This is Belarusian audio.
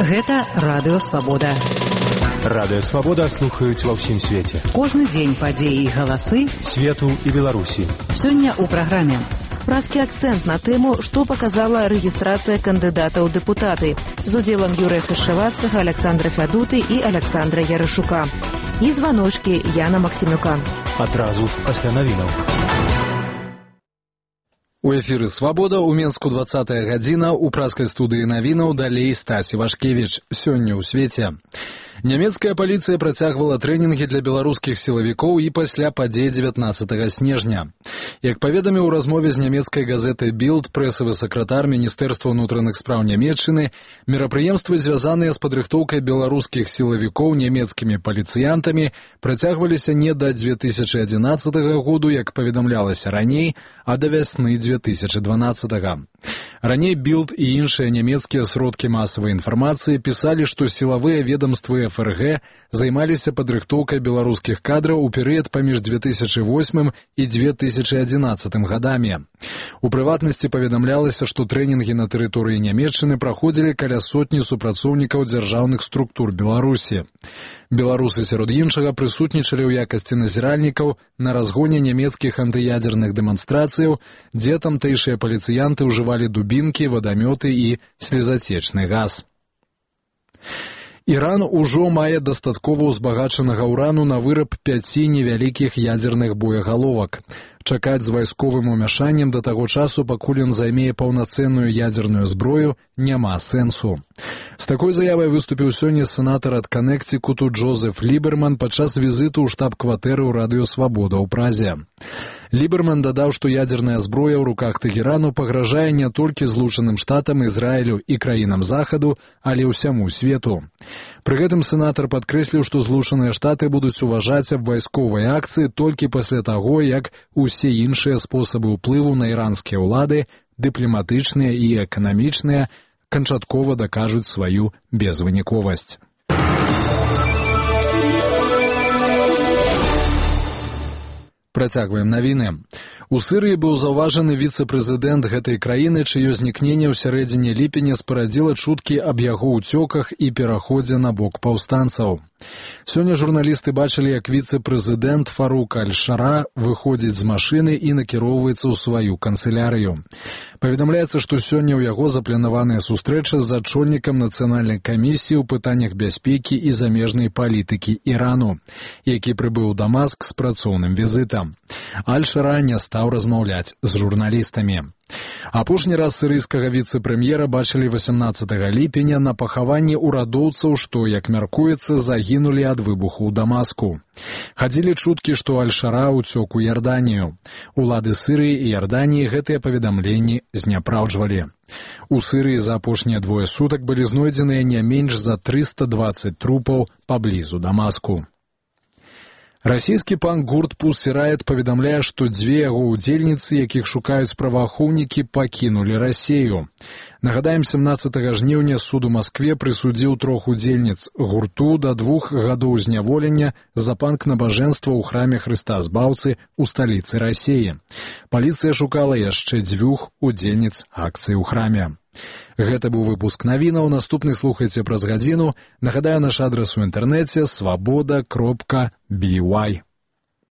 Гэта Радыё Свабода. Радыё Свабода слухаюць ва ўсім свеце. Кожны дзень падзеі і галасы свету і Беларусі. Сёння ў праграме празкі акцэнт на тэму, што паказала рэгістрацыя кандыдатаў у дэпутаты з удзелам Юрыя Хрышчавацкага, Аляксандра Фядуты і Аляксандра Ярашука. І званочкі Яна Максімюка. Адразу пасля навінаў. У эфіры «Свабода» у Менску 20-я гадзіна, у празкай студыі навінаў далей Стасі Вашкевіч. Сёння ў свеце. Нямецкая паліцыя працягвала трэнінгі для беларускіх сілавікоў і пасля падзей 19 снежня. Як паведаміў у размове з нямецкай газетай «Білд» прэсавы сакратар Міністэрства ўнутраных спраў Нямецчыны, мерапрыемствы, звязаныя з падрыхтоўкай беларускіх сілавікоў нямецкімі паліцыянтамі, працягваліся не да 2011 году, як паведамлялася раней, а да вясны 2012. Раней «Білд» і іншыя нямецкія сродкі масавай інфармацыі пісалі, што сілавыя ведомствы ФРГ займаліся падрыхтоўкай беларускіх кадраў у перыяд паміж 2008 і 2011 гадамі. У прыватнасці паведамлялася, што трэнінгі на тэрыторыі Нямецчыны праходзілі каля сотні супрацоўнікаў дзяржаўных структур Беларусі. Беларусы сярод іншага прысутнічалі ў якасці назіральнікаў на разгоне нямецкіх антыядзерных дэманстрацыяў, дзе тамтэйшыя паліцыянты ўжывалі дубінкі, вадамёты і слезацечны газ. Іран ужо мае дастаткова ўзбагачанага ўрану на выраб 5 невялікіх ядзерных боегаловак. Чакаць з вайсковым умяшаннем да таго часу, пакуль ён займее паўнацэнную ядзерную зброю, няма сэнсу. З такой заявай выступіў сёння сенатар ад Канектыкуту Джозеф Ліберман падчас візіту ў штаб-кватэры ў Радыё Свабода ў Празе. Ліберман дадаў, што ядзерная зброя ў руках Тэгэрану пагражае не толькі Злучаным Штатам, Ізраілю і краінам Захаду, але ўсяму свету. Пры гэтым сенатар падкрэсліў, што Злучаныя Штаты будуць уважаць аб вайсковай акцыі толькі пасля таго, як усе іншыя спосабы ўплыву на іранскія ўлады, дыпламатычныя і эканамічныя, канчаткова дакажуць сваю безвыніковасць. Працягваем навіны. У Сырыі быў заўважаны віцэ-прэзідэнт гэтай краіны, чыё знікненне ў сярэдзіне ліпеня спарадзіла чуткі аб яго ўцёках і пераходзе на бок паўстанцаў. Сёння журналісты бачылі, як віцэ-прэзідэнт Фарук Аль-Шара выходзіць з машыны і накіроўваецца ў сваю канцылярыю. Паведамляецца, што сёння ў яго запланаваная сустрэча з ачольнікам нацыянальнай камісіі ў пытаннях бяспекі і замежнай палітыкі Ірану, які прыбыў у Дамаск з працоўным візітам. Аль-Шара не стаў размаўляць з журналістамі. Апошні раз сірыйскага віцэ-прэм'ера бачылі 18 ліпеня на пахаванні ўрадоўцаў, што, як мяркуецца, загінулі ад выбуху ў Дамаску. Хадзілі чуткі, што Аль-Шара ўцёк у Ярданію. Улады Сырыі і Ярданіі гэтыя паведамленні зняпраўджвалі. У Сырыі за апошнія 2 сутак былі знойдзеныя не менш за 320 трупаў паблізу Дамаску. Расійскі панк-гурт «Pussy Riot» паведамляе, што 2 яго ўдзельніцы, якіх шукаюць праваахоўнікі, пакінулі Расію. Нагадаем, 17 жніўня суд у Маскве прысудзіў 3 удзельніц гурту да 2 гадоў зняволення за панк-набажэнства ў храме Хрыста Збаўцы ў сталіцы Расіі. Паліцыя шукала яшчэ 2 удзельніц акцыі ў храме. Гэта быў выпуск навінаў, наступны слухайце праз гадзіну. Нагадаю, наш адрас у інтэрнэце свабода.by.